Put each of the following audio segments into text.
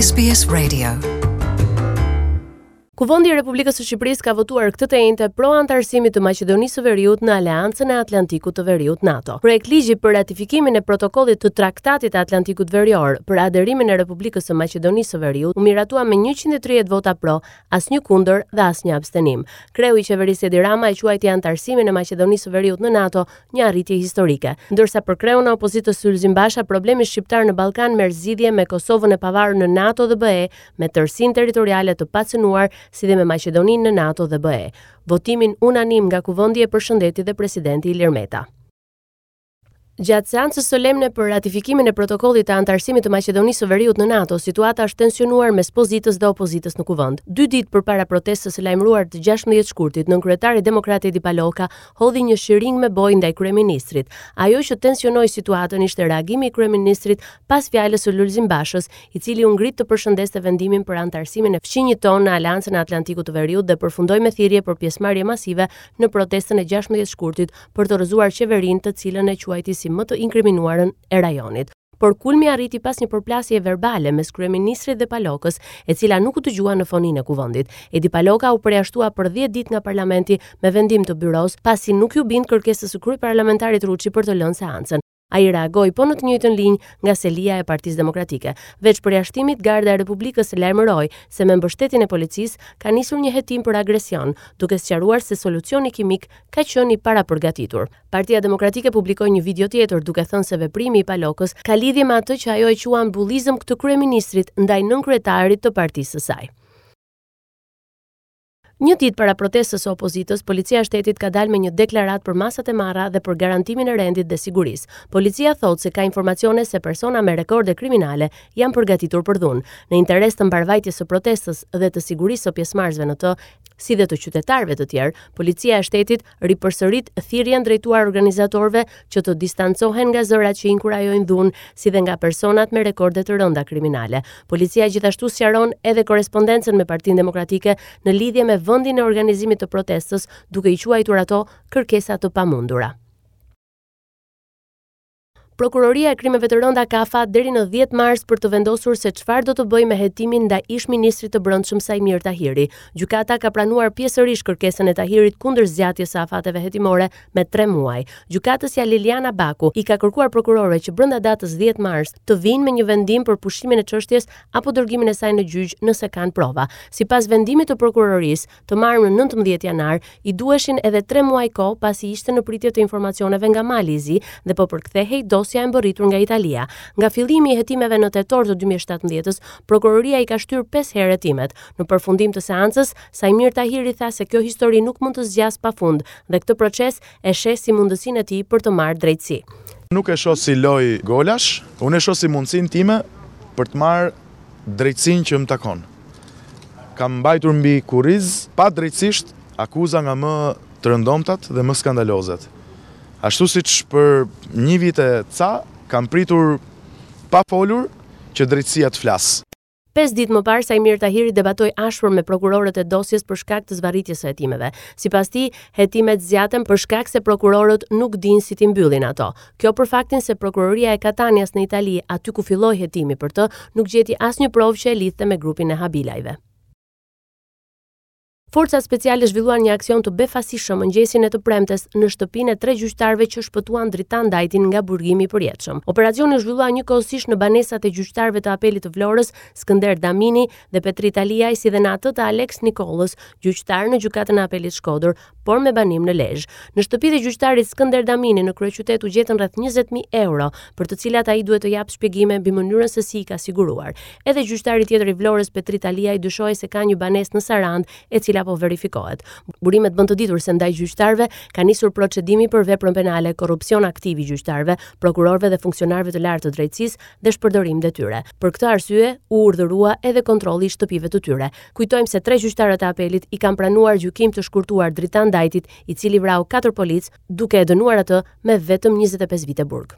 SBS Radio. Kuvendi i Republikës së Shqipërisë ka votuar këtë të enjte pro anëtarësimit të Maqedonisë së Veriut në Aleancën e Atlantikut të Veriut NATO. Projektligji për ratifikimin e protokollit të Traktatit të Atlantikut Verior për aderimin e Republikës së Maqedonisë së Veriut u miratua me 130 vota pro, asnjë kundër dhe asnjë abstenim. Kreu i qeverisë Edi Rama e quajti anëtarësimin e Maqedonisë së Veriut në NATO një arritje historike. Ndërsa për kreun e opozitës Lulzim Basha, problemi shqiptar në Ballkan merr zgjidhje me Kosovën e pavarur në NATO dhe BE, me tërësinë territoriale të pacënuar si dhe me Maqedoninë në NATO dhe BE. Votimin unanim nga Kuvendi e përshëndeti dhe presidenti Ilir Meta. Gjatë seancës solemne për ratifikimin e protokollit të anëtarësimit të Maqedonisë së Veriut në NATO, situata është tensionuar mes pozitës dhe opozitës në Kuvend. Dy ditë përpara protestës së lajmëruar të 16 shkurtit, nënkryetari demokrat Edi Paloka hodhi një shiringë me bojë ndaj kryeministrit. Ajo që tensionoi situatën ishte reagimi i kryeministrit pas fjalës së Lulzim Bashës, i cili u ngrit të përshëndeste vendimin për anëtarësimin e fqinjit tonë në Aleancën e Atlantikut të Veriut dhe përfundoi me thirrje për pjesëmarrje masive në protestën e 16 shkurtit për të rrëzuar qeverinë të cilën e quajti si më të inkriminuarën e rajonit. Por kulmi arriti pas një përplasjeje verbale mes kryeministrit dhe Palokës, e cila nuk u dëgjua në foninë e Kuvendit. Edi Paloka u përjashtua për 10 ditë nga parlamenti me vendim të byrosë, pasi nuk iu bind kërkesës së kryeparlamentarit Ruçi për të lënë seancën. Ai reagoi po në të njëjtën linjë nga selia e Partisë Demokratike. Veç përjashtimit, Garda e Republikës lajmëroi se me mbështetjen e policisë ka nisur një hetim për agresion, duke sqaruar se solucioni kimik ka qenë i parapërgatitur. Partia Demokratike publikoi një video tjetër duke thënë se veprimi i Palokës ka lidhje me atë që ajo e quan bullizëm të kryeministrit ndaj nënkryetarit të partisë së saj. Një ditë para protestës së opozitës, Policia e Shtetit ka dalë me një deklaratë për masat e marra dhe për garantimin e rendit dhe sigurisë. Policia thotë se ka informacione se persona me rekorde kriminale janë përgatitur për dhunë. Në interes të mbarëvajtjes së protestës dhe të sigurisë së pjesëmarrësve në të, si dhe të qytetarëve të tjerë, Policia e Shtetit ripërsërit thirrjen drejtuar organizatorëve që të distancohen nga zërat që inkurajojnë dhunë, si dhe nga personat me rekorde të rënda kriminale. Policia gjithashtu sqaron edhe korrespondencën me Partinë Demokratike në lidhje me vendin e organizimit të protestës, duke i quajtur ato kërkesa të pamundura. Prokuroria e Krimeve të Rënda ka afat deri në 10 mars për të vendosur se çfarë do të bëjë me hetimin ndaj ish-ministrit të Brendshëm Saimir Tahiri. Gjykata ka pranuar pjesërisht kërkesën e Tahirit kundër zgjatjes së afateve hetimore me 3 muaj. Gjykatësja Liliana Baku i ka kërkuar prokurorëve që brenda datës 10 mars të vijnë me një vendim për pushimin e çështjes apo dërgimin e saj në gjyq nëse kanë prova. Sipas vendimit të prokurorisë, të marrë më 19 janar, i duheshin edhe 3 muaj kohë pasi ishte në pritje të informacioneve nga Mali i Zi dhe po përkthehej dosja e mbërritur nga Italia. Nga fillimi i hetimeve në tetor të 2017-s, prokuroria i ka shtyrë 5 herë hetimet. Në përfundim të seancës, Saimir Tahiri tha se kjo histori nuk mund të zgjasë pafund dhe këtë proces e sheh si mundësinë e tij për të marrë drejtësi. Nuk e shoh si lojë golash, unë e shoh si mundësinë time për të marrë drejtësinë që më takon. Kam mbajtur mbi kurriz padrejtësisht akuza nga më të rëndomtat dhe më skandalozet. Ashtu siç për një vit e ca kam pritur pa folur që drejtësia të flasë. Pesë ditë më parë Saimir Tahiri debatoi ashpër me prokurorët e dosjes për shkak të zvarritjes së hetimeve. Sipas tij, hetimet zgjaten për shkak se prokurorët nuk dinë si t'i mbyllin ato. Kjo për faktin se prokuroria e Katanias në Itali, aty ku filloi hetimi për të, nuk gjeti asnjë provë që e lidhte me grupin e Habilajve. Forcat speciale zhvilluan një aksion të befasishëm mëngjesin e të premtes në shtëpinë e tre gjyqtarëve që shpëtuan Dritan Dajtin nga burgimi i përjetshëm. Operacioni u zhvillua njëkohësisht në banesat e gjyqtarëve të Apelit të Vlorës, Skënder Damini dhe Petrit Aliaj, si dhe në atë të Aleks Nikollës, gjyqtar në Gjykatën e Apelit Shkodër, por me banim në Lezhë. Në shtëpitë e gjyqtarit Skënder Damini në kryeqytet u gjetën rreth 20000 euro, për të cilat ai duhet të japë shpjegime mbi mënyrën se si i ka siguruar. Edhe gjyqtari tjetër i Vlorës, Petrit Aliaj, dyshohej se ka një banesë në Sarandë, e cila po verifikohet. Burimet bënë të ditur se ndaj gjyqtarëve ka nisur procedimi për veprën penale korrupsion aktiv i gjyqtarëve, prokurorëve dhe funksionarëve të lartë të drejtësisë dhe shpërdorim detyre. Për këtë arsye u urdhërua edhe kontrolli i shtëpive të tyre. Kujtojmë se tre gjyqtarët e apelit i kanë pranuar gjykim të shkurtuar Dritan Dajtit, i cili vrau katër policë, duke e dënuar atë me vetëm 25 vite burg.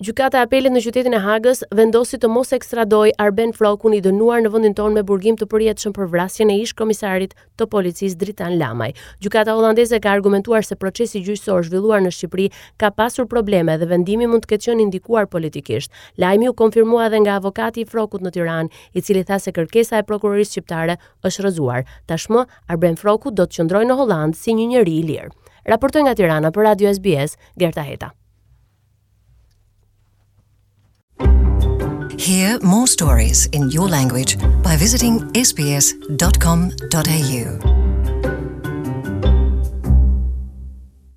Gjykata e Apelit në qytetin e Hagës vendosi të mos ekstradojë Arben Frrokun i dënuar në vendin tonë me burgim të përjetshëm për vrasjen e ish-komisarit të policisë Dritan Lamaj. Gjykata holandeze ka argumentuar se procesi gjyqësor zhvilluar në Shqipëri ka pasur probleme dhe vendimi mund të ketë qenë i ndikuar politikisht. Lajmi u konfirmua edhe nga avokati i Frrokut në Tiranë, i cili tha se kërkesa e prokurorisë shqiptare është rrëzuar. Tashmë, Arben Frroku do të qëndrojë në Holandë si një njeri i lirë. Raportoi nga Tirana për Radio SBS, Gerta Heta. Hear more stories in your language by visiting sbs.com.au.